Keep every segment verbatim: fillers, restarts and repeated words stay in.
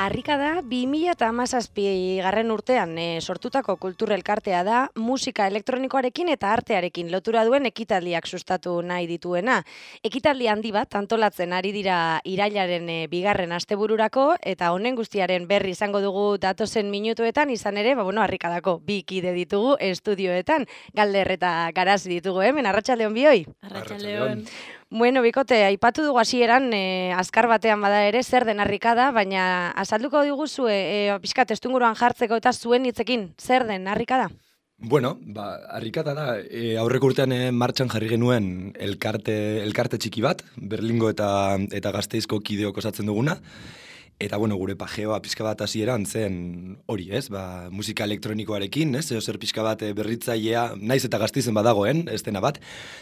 Harrika da bi mila hamazazpi garren urtean e, sortutako kultur elkartea da musika elektronikoarekin eta artearekin lotura duen ekitaldiak sustatu nahi dituena. Ekitaldi handi bat antolatzen ari dira irailaren e, bigarren astebururako eta honen guztiaren berri izango dugu datozen minutuetan, izan ere, ba, bueno, Harrikadako bi kide ditugu estudioetan, Galder eta Garazi ditugu hemen. Arratsaldeon bioi. Arratsaldeon. Bueno, bikote, aipatu dugu hasieran e, azkar batean bada ere zer den Harrikada, baina azalduko diguzu e, e, pixka testuinguruan jartzeko eta zuen hitzekin zer den Harrikada? Bueno, ba, Harrikada da, e, aurreko urtean e, martxan jarri genuen elkarte, elkarte txiki bat, Berlingo eta, eta Gasteizko kideok osatzen duguna. Eta, bueno, gure pajeoa pixka bat hasieran zen hori, ez? Ba, musika elektronikoarekin, ez? Zeo zer pixka bat berritzailea, naiz eta Gasteizen badagoen, ez dena bat,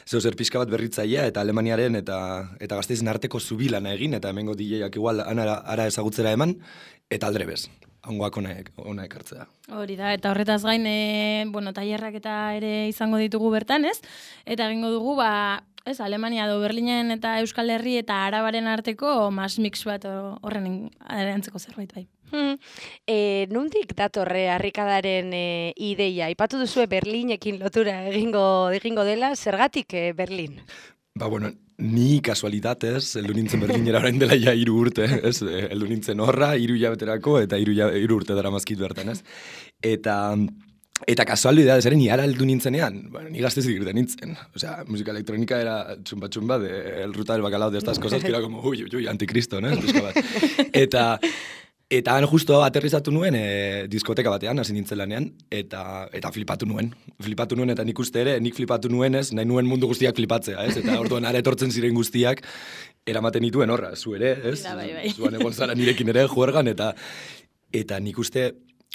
zeo zer pixka bat berritzailea eta Alemaniaren eta eta Gasteizen arteko zubilana egin, eta hemengo D J-ak igual ara, ara ezagutzera eman, eta aldrebez, hangoak ona, ona ekartzea. Hori da, eta horretaz gain, e, bueno, tailerrak eta ere izango ditugu bertan, ez? Eta egingo dugu, ba, ez, Alemania do Berlinen eta Euskal Herri eta Arabaren arteko mas mix bat horren erantzeko zerbait bai. Hmm. E, nundik datorre Harrikadaren e, ideia? Aipatu duzue Berlinekin lotura egingo, egingo dela, zergatik e, Berlin? Ba, bueno, ni kasualitatez, heldu nintzen Berlinera orain dela ja hiru urte, ez? Heldu nintzen horra, hiru hilabeterako eta hiru hiru urte dara mazkit bertan, ez? Eta... Eta kasualidad, ere ni ara heldu nintzenean, bueno, ni Gasteizik irten nintzen. O sea, música electrónica era chumba chumba de el ruta del bacalao de estas cosas que era como, uy, uy, uy, anticristo, ¿no? Eta, eta han justo aterrizatu nuen e, diskoteka batean, hasi nintzen lanean, eta, eta flipatu nuen. Flipatu nuen, eta nik uste ere, nik flipatu nuenez, nahi nuen mundu guztiak flipatzea, ez? Eta orduan ara etortzen ziren guztiak, eramaten dituen horra, zu ere, ez? Bai, bai. Zuan egon zara nirekin ere juergan, eta, eta nik uste...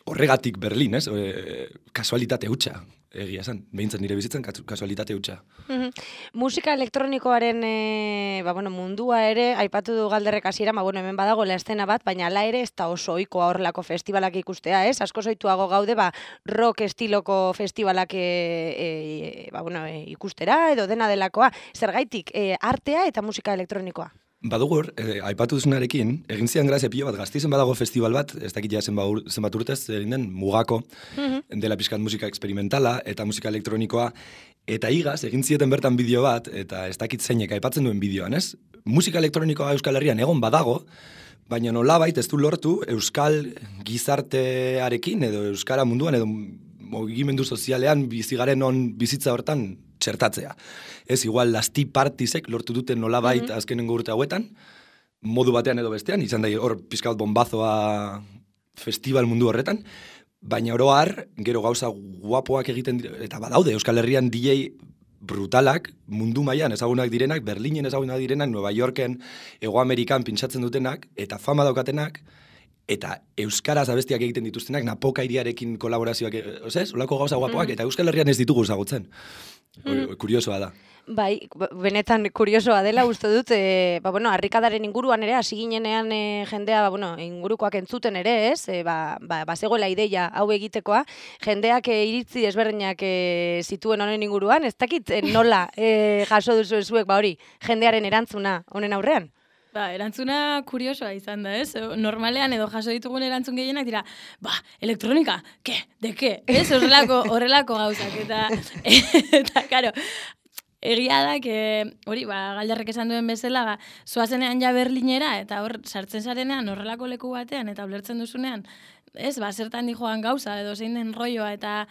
Horregatik Berlin, ez? E, kasualitate hutsa, egia esan. Behintzen nire bizitzen kasualitate hutsa. Mm-hmm. Musika elektronikoaren e, ba, bueno, mundua ere, aipatu du Galderrek hasieran, ba, bueno, hemen badago la estena bat, baina ala ere ez da oso ohikoa horrelako festivalak ikustea, ez? Asko zoituago gaude, ba, rock estiloko festivalak e, e, ba, bueno, e, ikustera edo dena delakoa. Zergaitik, e, artea eta musika elektronikoa? Badugur, eh, aipatu duzunarekin, egin zian grazia pilo bat, Gasteizen badago festival bat, ez dakit ja zenbat urtez, egin den Mugako, mm-hmm. dela pixkat musika experimentala eta musika elektronikoa, eta igaz, egin zieten bertan bideo bat, eta ez dakit zeinek aipatzen duen bideoan, ez? Musika elektronikoa Euskal Herrian egon badago, baina nolabait ez du lortu Euskal gizartearekin, edo Euskara munduan, edo mugimendu sozialean bizigaren on bizitza hortan txertatzea. Ez, igual, lasti partisek lortu duten nolabait mm-hmm. azkenengo urte hauetan, modu batean edo bestean, izan da hor pizkat bombazoa festival mundu horretan, baina oro har, gero gauza guapoak egiten dira, eta badaude, Euskal Herrian D J brutalak, mundu mailan ezagunak direnak, Berlinen ezagunak direnak, Nueva Yorken, Hego Amerikan pintsatzen dutenak, eta fama daukatenak, eta euskaraz abestiak egiten dituztenak, Napoka iriarekin kolaborazioak, ozez, olako gauza guapoak, eta Euskal Herrian ez ditugu ezagutzen. Mm. Kuriosoa da. Bai, benetan kuriosoa dela uste dut, e, ba, bueno, Harrikadaren inguruan ere, hasi ginenean e, jendea, ba, bueno, ingurukoak entzuten ere, ez, e, ba, ba, bazegoela ideia hau egitekoa, jendeak e, iritzi desberdinak e, zituen honen inguruan, ez dakit e, nola e, jaso duzu zuek, ba hori, jendearen erantzuna honen aurrean? Ba, erantzuna kuriosoa izan da, ez? Normalean edo jaso ditugun erantzun gehienak dira, ba, elektronika, ke, de ke, ez? Horrelako, horrelako gauzak, eta, eta, karo, egia da, que, hori, ba, Galderrek esan duen bezala, ba, zoazenean ja Berlinera, eta hor, sartzen zarenean, horrelako leku batean, eta ulertzen duzunean, ez, ba, zertan di joan gauza, edo zein den rolloa, eta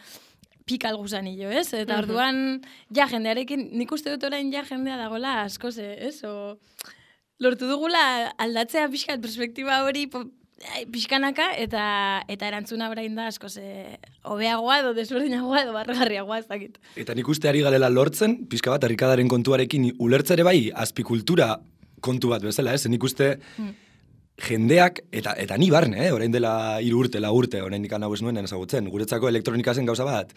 pikal gusanillo, ez? Eta orduan, ja, jendearekin, nik uste dut orain ja jendea dagoela askoz, ez? O... Lortu dugula aldatzea pixkat perspektiba hori pixkanaka eta eta erantzuna orain da asko ze hobeagoa edo desberdinagoa edo barregarriagoa ez dakit. Eta nik uste ari garela lortzen, pixka bat Harrikadaren kontuarekin ulertzere bai azpikultura kontu bat bezala, ez? Nik uste hmm. jendeak, eta eta ni barne, eh? Orain dela hiru urte, la urte, orain ikan hau ez nuen ezagutzen, guretzako elektronika zen gauza bat,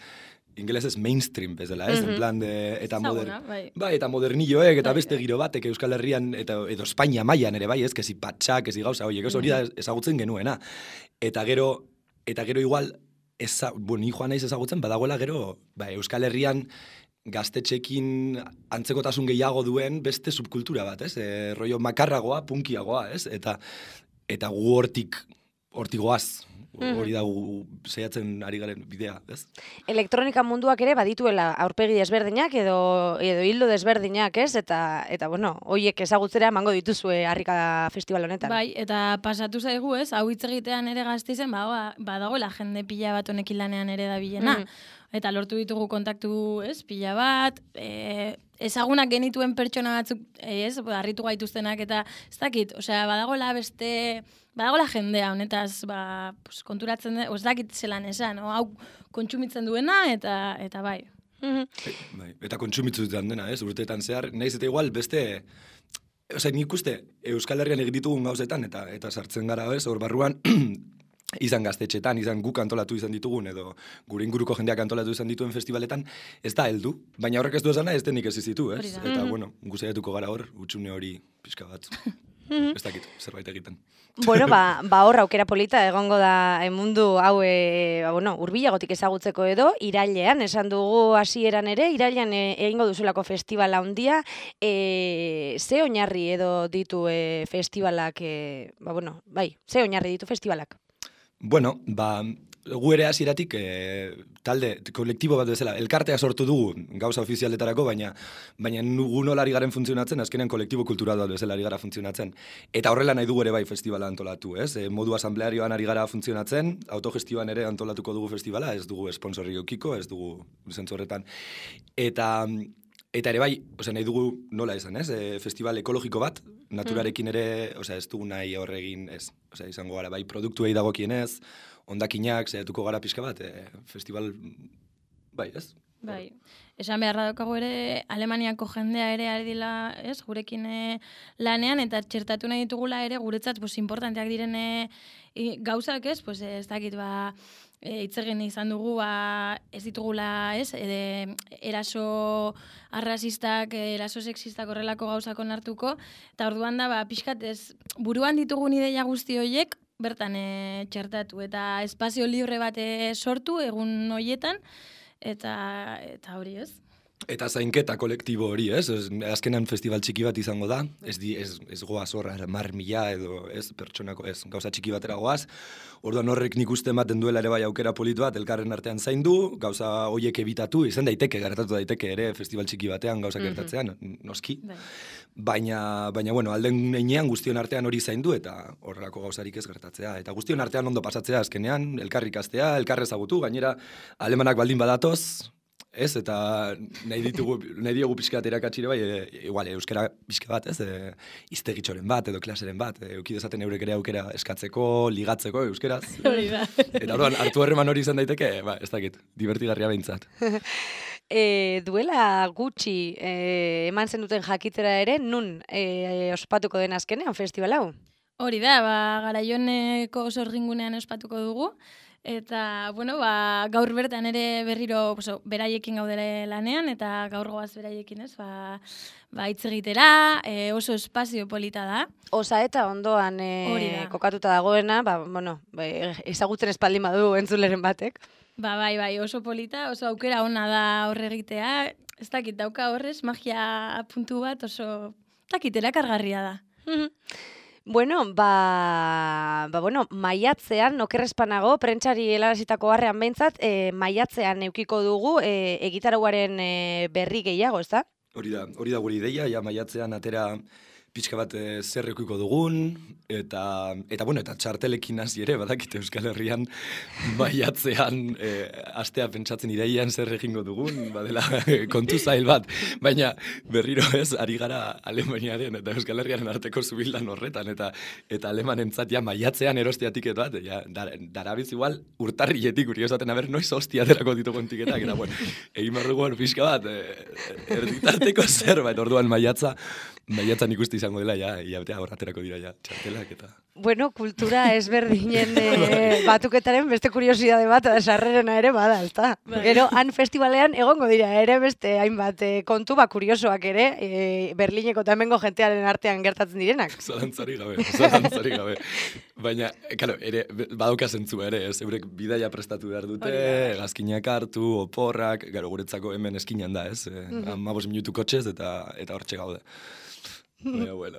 ingelesez mainstream bezala, ez? Mm-hmm. En plan de, eta Zaguna, moder, bai. bai, eta modernilloek, eta bai, beste giro batek Euskal Herrian, eta edo Espainia mailan ere bai, ez? Kezi patxak, kezi gauza, oiek, ez hori da ezagutzen genuena. Eta gero, eta gero igual, eza, bueno, ni joan naiz ezagutzen, badagoela gero, ba, Euskal Herrian gaztetxekin antzekotasun gehiago duen beste subkultura bat, ez? E, rollo makarragoa, punkiagoa, ez? Eta, eta gu hortik hortigoaz, hori da gu saiatzen ari garen bidea, ez? Elektronika munduak ere badituela aurpegi desberdinak edo edo hildo desberdinak, ez? Eta eta bueno, hoiek ezagutzera emango dituzue Harrika festival honetan. Bai, eta pasatu zaigu, ez? Hau hitz egitean ere Gasteizen ba, badagoela jende pila bat honekin lanean ere dabilena. Mm. Eta lortu ditugu kontaktu, ez? Pila bat, e, ezagunak genituen pertsona batzuk, ez? Harritu gaituztenak eta ez dakit, osea, badagoela beste Badagoela jendea honetaz, ba, pues, konturatzen da, ez dakit zelan esan, no? Hau kontsumitzen duena eta eta bai. Mm-hmm. E, bai. Eta kontsumitzutan dena, ez? Urteetan zehar, nahiz eta igual beste, osea, nik uste Euskal Herrian egin ditugun gauzetan eta eta sartzen gara, ez? Hor barruan izan gaztetxetan, izan guk antolatu izan ditugun, edo gure inguruko jendeak antolatu izan dituen festivaletan, ez da heldu, baina horrek ez du esana ez denik ez izitu, ez? Eta, mm-hmm. bueno, guzaiatuko gara hor, utxune hori pixka bat. Ez dakit, zerbait egiten. Bueno, ba, ba hor aukera polita egongo da mundu hau e, ba, bueno, urbilagotik ezagutzeko edo, irailean, esan dugu hasieran ere, irailean e, egingo duzulako festivala handia, e, ze oinarri edo ditu e, festivalak, e, ba, bueno, bai, ze oinarri ditu festivalak? Bueno, ba, gu ere hasieratik e, talde, kolektibo bat bezala, elkartea sortu dugu gauza ofizialetarako, baina baina nugu nola ari garen funtzionatzen, azkenean kolektibo kultural bat bezala ari gara funtzionatzen. Eta horrela nahi dugu ere bai festivala antolatu, ez? E, modu asamblearioan ari gara funtzionatzen, autogestioan ere antolatuko dugu festivala, ez dugu sponsorri eukiko, ez dugu zentzu horretan. Eta Eta ere bai, osea, nahi dugu nola esan, ez? E, festival ekologiko bat, naturarekin ere, osea, ez dugu nahi horregin, ez? Osea, izango gara bai produktuei dagokienez, hondakinak, saiatuko gara pixka bat, e, festival, bai, ez? Bai, esan beharra daukagu ere, Alemaniako jendea ere ari dila, ez, gurekin e, lanean, eta txertatu nahi ditugula ere, guretzat, pues, importanteak direne e, gauzak, ez, pues, ez dakit, ba, e, itzegin izan dugu, ba, ez ditugula, ez, ede, eraso arrazistak, eraso sexistak horrelako gauzak onartuko, eta orduan da, ba, pixkat, ez, buruan ditugun ideia guzti horiek, bertan e, txertatu, eta espazio libre bat e, sortu, egun horietan, Eta, eta hori ez. Eta zainketa kolektibo hori, ez? ez azkenan festival txiki bat izango da, ez, di, ez, ez goaz horra, mar mila edo, ez, pertsonako, ez, gauza txiki batera goaz. Orduan horrek nik uste ematen duela ere bai aukera politu bat, elkarren artean zaindu, gauza horiek ebitatu, izan daiteke, gertatu daiteke ere festival txiki batean gauza gertatzean, mm-hmm. noski. Bai. Baina, baina, bueno, alden heinean guztion artean hori zaindu eta horrelako gauzarik ez gertatzea. Eta guztion artean ondo pasatzea azkenean, elkarrikastea, elkarrezagutu, gainera alemanak baldin badatoz, ez, eta nahi ditugu, nahi diogu pixka bat erakatxire bai, e, igual, euskara pixka bat, ez, e, iztegitxoren bat, edo klaseren bat, e, eukidezaten eurek ere aukera eskatzeko, ligatzeko euskeraz. Hori da. Eta orduan, hartu harreman hori izan daiteke, ba, ez dakit, divertigarria behintzat. E, duela gutxi e, eman zen duten jakitera ere, nun e, ospatuko den azkenean festival hau? Hori da, ba, Garaioneko sorgingunean ospatuko dugu, eta, bueno, ba, gaur bertan ere berriro oso, beraiekin gaudere lanean, eta gaur goaz beraiekin ez, ba, ba hitz egitera, e, oso espazio polita da. Osa eta ondoan e, kokatuta dagoena, ba, bueno, ba, ezagutzen espaldin badu entzuleren batek. Ba, bai, bai, oso polita, oso aukera ona da horre egitea, ez dakit dauka horrez, magia puntu bat, oso, dakit, erakargarria da. Bueno, ba, ba bueno, maiatzean, okerrezpanago, prentsari helarazitako harrean behintzat, e, maiatzean eukiko dugu e, egitarauaren e, berri gehiago, ez da? Hori da, hori da guri ideia, ja maiatzean atera pixka bat e, zer eukiko dugun, eta, eta, bueno, eta txartelekin hasi ere, badakite Euskal Herrian maiatzean e, astea pentsatzen ideian zer egingo dugun, badela kontu zail bat, baina berriro ez, ari gara Alemaniaren eta Euskal Herriaren arteko zubildan horretan, eta eta alemanentzat ja maiatzean eroste tiketo bat, ja, dar, darabiz igual urtarrietik guri esaten, aber, noiz hostia aterako ditugun tiketak, eta, bueno, egin barrugu hor pixka bat, e, erditarteko zerbait, orduan maiatza, maiatzan ikusti izango dela, ja, iabetea hor aterako dira, ja, txartelak eta... Bueno, kultura ezberdinen e, batuketaren beste kuriosidade bat, sarrerena ere bada, ezta? Gero, han festivalean egongo dira ere beste hainbat e, kontu ba kuriosoak ere, e, Berlineko eta hemengo jentearen artean gertatzen direnak. Zalantzari gabe, zalantzari gabe. Baina, karo, ere, badauka zentzua ere, ez, eurek bidaia prestatu behar dute, gazkinak hartu, oporrak, gero, guretzako hemen eskinan da, ez? E, mm-hmm. Amabos minutu kotxez eta eta hortxe gaude. Baina, bueno,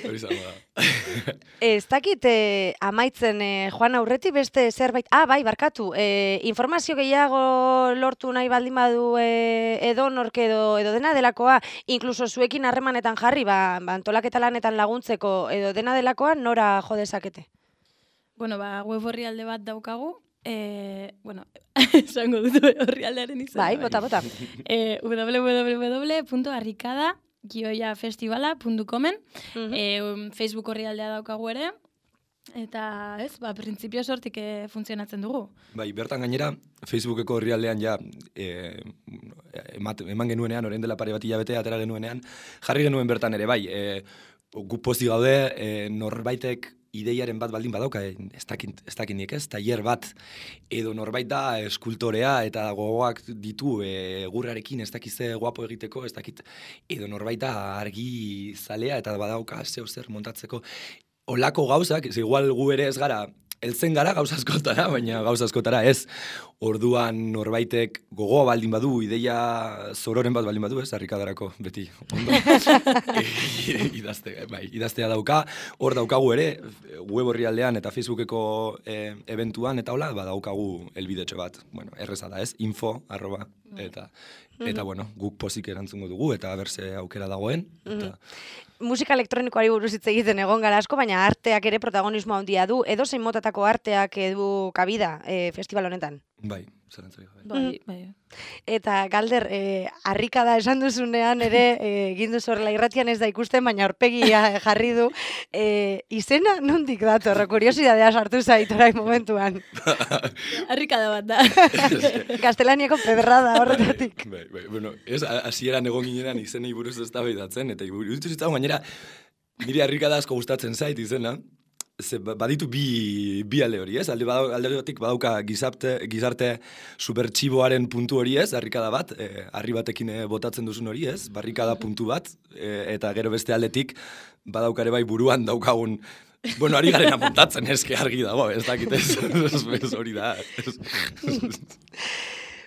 hori zango da. Ez dakit eh, amaitzen eh, joan aurreti beste zerbait... Ah, bai, barkatu. Eh, informazio gehiago lortu nahi baldin badu eh, edo nork edo, edo dena delakoa, inkluso zuekin harremanetan jarri, ba, ba antolaketa lanetan laguntzeko edo dena delakoa, nora jo dezakete? Bueno, ba, web orrialde bat daukagu, eh, bueno, esango dut orrialdearen izan. Bai, bota, bota. eh, w w w punto arrikada gioia festivala punto comen, Mhm. eh, Facebook orrialdea daukagu ere, eta ez, ba, printzipio sortik eh, funtzionatzen dugu. Bai, bertan gainera, Facebookeko orrialdean ja e, emat, eman genuenean, orain dela pare bat hilabete atera genuenean, jarri genuen bertan ere, bai, e, gu pozik gaude, e, norbaitek ideiaren bat baldin badauka, e, ez dakit, ez dakit nik ez, tailer bat, edo norbait da eskultorea eta gogoak ditu e, gurrarekin ez dakize guapo egiteko, ez dakit, edo norbait da argi zalea eta badauka zeu zer montatzeko, olako gauzak, ez igual gu ere ez gara, heltzen gara gauza askotara, baina gauza askotara ez. Orduan norbaitek gogoa baldin badu, ideia zororen bat baldin badu, ez, harrikadarako beti ondo. e, idazte, bai, idaztea dauka, hor daukagu ere, web orrialdean eta Facebookeko e, eventuan, eta hola, ba, daukagu elbidetxo bat. Bueno, erreza da ez, info, arroba, eta, eta bueno, guk pozik erantzungo dugu, eta berze aukera dagoen. Eta, musika elektronikoari buruz hitz egiten egon gara asko, baina arteak ere protagonismo handia du, edo zein motatako arteak edu kabida e, festival honetan. bai, zerantzarik gabe. Bai, bai. Eta Galder, e, harrikada esan duzunean ere, e, egin duzu horrela irratian ez da ikusten, baina aurpegia jarri du. E, izena nondik dator, kuriosidadea sartu zait orain momentuan. Harrikada bat da. Gaztelaniako pedrada horretatik. Bai, bai, bueno, ez, hasieran egon ginenan izenei buruz eztabaidatzen, eta iruditu zitzaigun gainera, niri harrikada asko gustatzen zait izena, ze baditu bi, bi alde hori, ez? Alde, badau, alde batik badauka gizarte, gizarte supertxiboaren puntu hori, ez? Harrikada bat, e, harri batekin e, botatzen duzun hori, ez? Barrikada puntu bat, e, eta gero beste aldetik badaukare bai buruan daukagun, bueno, ari garena montatzen eske argi dago, ez dakit ez, hori da.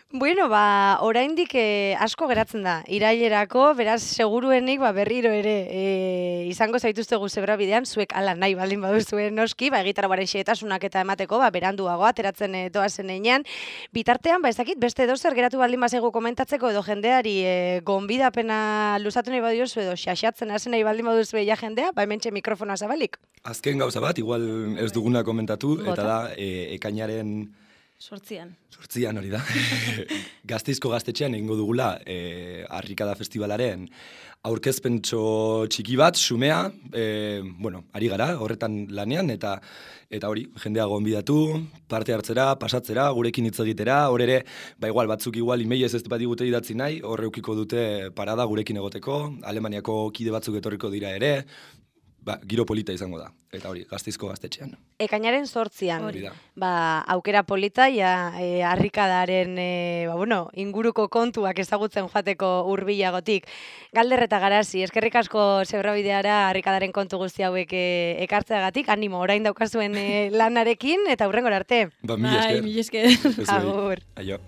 Bueno, ba, oraindik eh, asko geratzen da, irailerako, beraz, seguruenik ba, berriro ere eh, izango zaituztegu zebrabidean, zuek ala nahi baldin baduzuen noski, ba, egitarauaren xehetasunak eta emateko, ba, beranduago ateratzen e, doazen einean. Bitartean, ba, ez dakit, beste edozer geratu baldin bazegu komentatzeko edo jendeari e, gonbidapena luzatu nahi badiozu edo xaxatzen hasen nahi baldin baduzu ja jendea, ba, hementxe mikrofonoa zabalik. Azken gauza bat, igual ez duguna komentatu, Bota. eta da, e, ekainaren... Sortzian. Sortzian hori da. Gasteizko gaztetxean egingo dugula e, Harrikada Festivalaren aurkezpentxo txiki bat, xumea, e, bueno, ari gara, horretan lanean, eta eta hori, jendea gonbidatu, parte hartzera, pasatzera, gurekin hitz egitera, hor ere, ba igual, batzuk igual, emailez ez bat digute idatzi nahi, hor eukiko dute parada gurekin egoteko, Alemaniako kide batzuk etorriko dira ere, ba, giro polita izango da, eta hori, Gasteizko gaztetxean. Ekainaren sortzian, Hori da. ba, aukera polita, ja, e, harrikadaren e, ba, bueno, inguruko kontuak ezagutzen joateko hurbilagotik. Galder eta Garazi, eskerrik asko zebrabideara harrikadaren kontu guzti hauek e, ekartzeagatik, animo, orain daukazuen e, lanarekin, eta hurrengora arte. Ba, mila Bai, esker. mila esker. Ez bai. Agur. Aio.